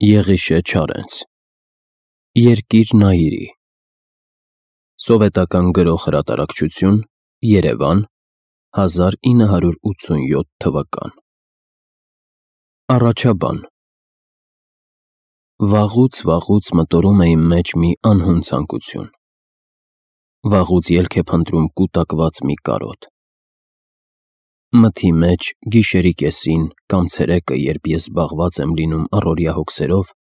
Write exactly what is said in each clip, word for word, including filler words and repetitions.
Եղիշե Չարենց Երկիր Նայիրի Սովետական գրող հրատարակչություն Երևան հազար ինը հարյուր ութսունյոթ թվական Առաջաբան Վաղուց վաղուց մտորում է իմ մեջ մի անհուն ցանկություն Վաղուց ելք է փնտրում կուտակված մի կարոտ Մթի մեջ գիշերի կեսին կամ ցերեկը երբ ես զբաղված եմ լինում առօրյա հոգսերով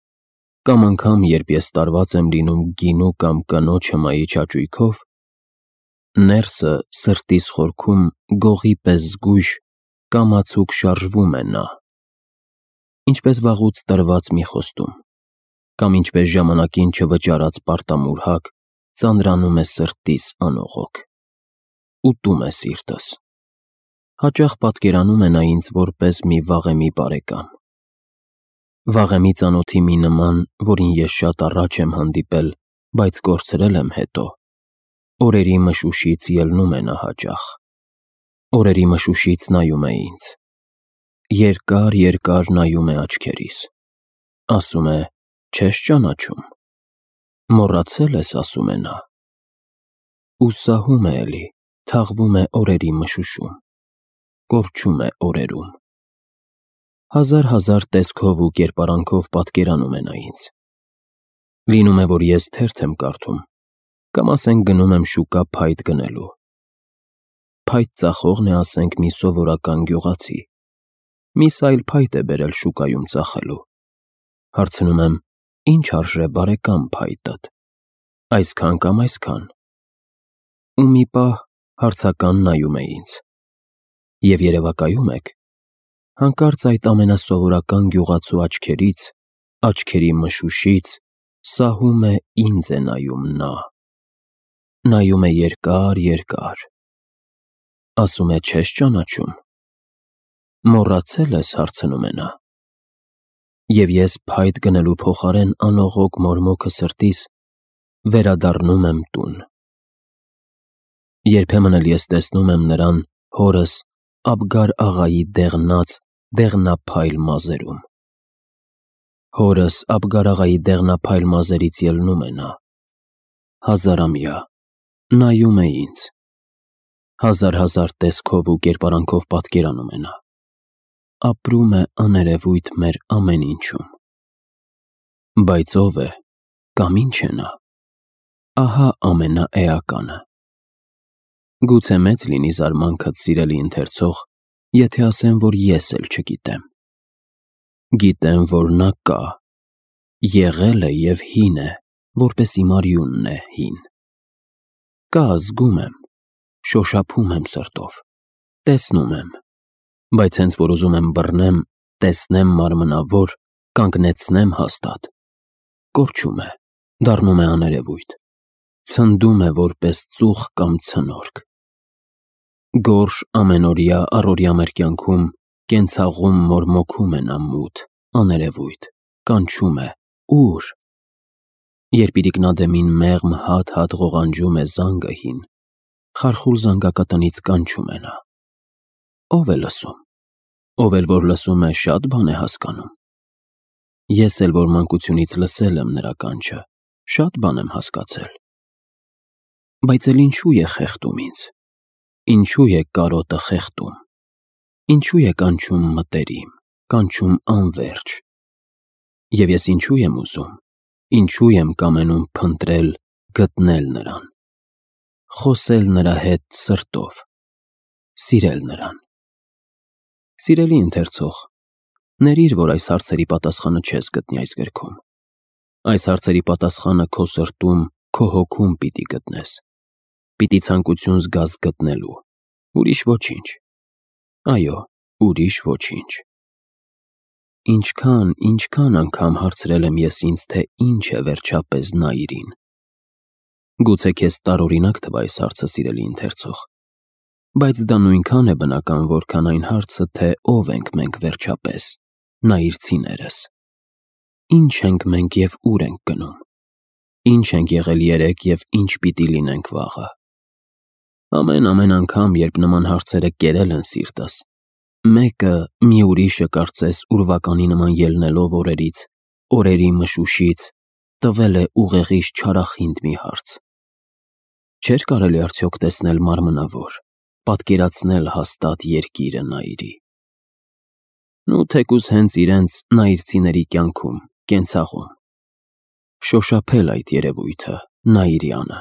կամ անգամ երբ ես տարված եմ լինում գինու կամ կնոջ հմայի չաճույքով ներսը սրտիս խորքում գողի պես զգույշ կամացուկ շարժվում է նա ինչպես վաղուց տրված մի խոստում կամ ինչպես ժամանակին չվճարած պարտամուրհակ ծանրանում է սրտիս անողոք ուտում է սիրտս հաճախ պատկերանում է նա ինձ որպես մի վաղեմի բարեկամ վաղեմի ծանոթի մի նման, որին ես շատ առաջ եմ հանդիպել, բայց կորցրել եմ հետո օրերի մշուշից ելնում է նա հաճախ օրերի մշուշից նայում է ինձ երկար երկար նայում է աչքերիս ասում է չես ճանաչում մոռացել ես ասում է նա ու սահում է էլի թաղվում է օրերի մշուշում կորչում է օրերում հազար հազար տեսքով ու կերպարանքով պատկերանում է նա ինձ լինում է որ ես թերթ եմ կարդում կամ ասենք գնում եմ շուկա փայտ գնելու փայտ ծախողն է ասենք մի սովորական գյուղացի միս այլ փայտ է բերել շուկայում ծախելու հարցնում եմ ինչ արժե բարեկամ փայտդ այսքան կամ այսքան ու մի պահ հարցական նայում է ինձ և երևակայում եք հանկարծ այդ ամենասովորական գյուղացու աչքերից աչքերի մշուշից սահում է ինձ է նայում նա նայում է երկար երկար ասում է չես ճանաչում մոռացել ես հարցնում է նա և ես փայտ գնելու փոխարեն անողոք մորմոքը սրտիս վերադառնում եմ տուն երբեմն էլ ես տեսնում եմ նրան հորս Աբգար աղայի դեղնած դեղնափայլ մազերում հորս Աբգար աղայի դեղնափայլ մազերից ելնում է նա հազարամյա նայում է ինձ հազար հազար տեսքով ու կերպարանքով պատկերանում է նա ապրում է աներևույթ մեր ամեն ինչում բայց ով է կամ ինչ է նա ահա ամենաէականը Գուցե մեծ լինի զարմանքդ սիրելի ընթերցող եթե ասեմ որ ես էլ չգիտեմ գիտեմ որ նա կա եղել է և հին է որպես իմ արյունն է հին կա զգում եմ շոշափում եմ սրտով տեսնում եմ բայց հենց որ ուզում եմ բռնեմ տեսնեմ մարմնավոր կանգնեցնեմ հաստատ կորչում է դառնում է աներևույթ ցնդում է որպես ծուխ կամ ցնորք Գորշ ամենօրյա առօրյա մեր կյանքում կենցաղում մորմոքում է նա մութ աներևույթ կանչում է ու՞ր երբ իրիկնադեմին մեղմ հատ-հատ ղողանջում է զանգը հին խարխուլ զանգակատնից կանչում է նա ով է լսում ով էլ որ լսում է շատ բան է հասկանում ես էլ որ մանկությունից լսել եմ նրա կանչը շատ բան եմ հասկացել բայց էլ ինչու է խեղդում ինձ Ինչու է կարոտը խեղդում Ինչու է կանչում մտերիմ կանչում անվերջ Եվ ես ինչու եմ ուզում Ինչու եմ կամենում փնտրել գտնել նրան Խոսել նրա հետ սրտով Սիրել նրան Սիրելի ընթերցող ների՛ր որ այս հարցերի պատասխանը չես գտնի այս գրքում Այս հարցերի պատասխանը քո սրտում քո հոգում պիտի գտնես Պիտի ցանկություն զգաս գտնելու ուրիշ ոչինչ այո ուրիշ ոչինչ Ինչքան ինչքան անգամ հարցրել եմ ես ինձ թե ինչ է վերջապես Նայիրին Գուցե քեզ տարօրինակ թվա այս հարցը սիրելի ընթերցող բայց դա նույնքան է բնական որքան այն հարցը թե ով ենք մենք վերջապես նայիրցիներս Ինչ ենք մենք և ուր ենք գնում Ինչ ենք եղել երեկ և ինչ պիտի լինենք վաղը Ամեն-ամեն անգամ երբ նման հարցերը կերել են սիրտս մեկը մի ուրիշը կարծես ուրվականի նման ելնելով օրերից օրերի մշուշից տվել է ուղեղիս չարախինդ մի հարց. չէր կարելի արդյոք տեսնել մարմնավոր, պատկերացնել հաստատ երկիրը Նաիրի։ Նու թեկուզ հենց իրենց նայիրցիների կյանքում, կենցաղում, շոշափել այդ երևույթը, Նաիրյանը,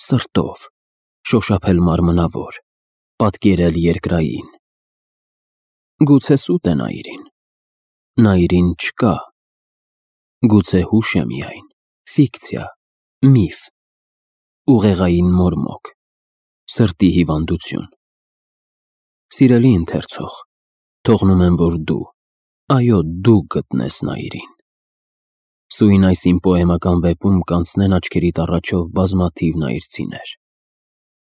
սրտով, շոշափել մարմնավոր, պատկերել երկրային։ Գուցե սուտ է Նաիրին, Նաիրին չկա, գուցե հուշ է միայն, ֆիկցիա, միֆ, ուղեղային մորմոք, սրտի հիվանդություն։ Սիրելի ընթերցող, թողնում եմ, որ դու, այո, դու գտնես Նաիրին։ Սույն այս իմ պոեմական վեպում կանցնեն աչքերիդ առաջով բազմաթիվ նայիրցիներ։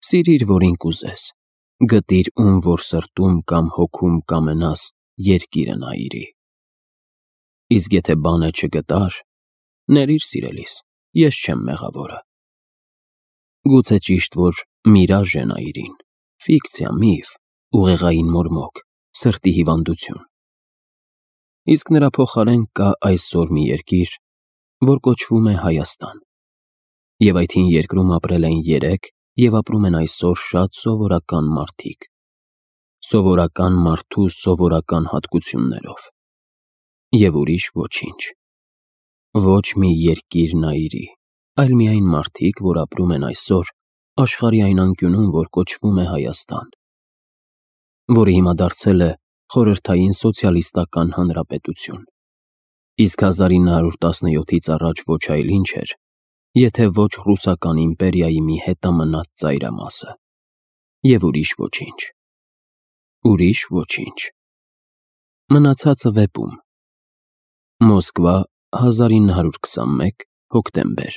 Սիրիր, որին կուզես, գտիր ում որ սրտում կամ հոգում կամենաս երկիրը Նաիրի։ Իսկ եթե բան է չգտար, ներիր սիրելիս, ես չեմ մեղավորը։ Գուցե ճիշտ որ միրաժ է Նաիրին, ֆիկցիա, միֆ, ուղեղային մորմոք, սրտի հիվանդություն։ Իսկ նրա փոխարեն կա այսօր մի երկիր, որ կոչվում է Հայաստան։ Եվ այդ հին երկրում ապրել են երեք և ապրում են այսօր շատ սովորական մարդիկ, սովորական մարդու սովորական հատկություններով։ Եվ ուրիշ ոչինչ։ Ոչ մի երկիր Նաիրի, այլ միայն մարդիկ, որ ապրում են այսօր աշխարհի այն անկյունում, որ կոչվում է Հայաստան, որը հիմա դարձել է խորհրդային սոցիալիստական հանրապետություն։ Իսկ հազար ինը հարյուր տասնյոթից առաջ ոչ այլ ինչ էր, եթե ոչ ռուսական իմպերիայի մի հետամնաց ծայրամասը։ Եվ ուրիշ ոչինչ։ Ուրիշ ոչինչ։ Մնացածը վեպում։ Մոսկվա, հազար ինը հարյուր քսանմեկ, հոկտեմբեր։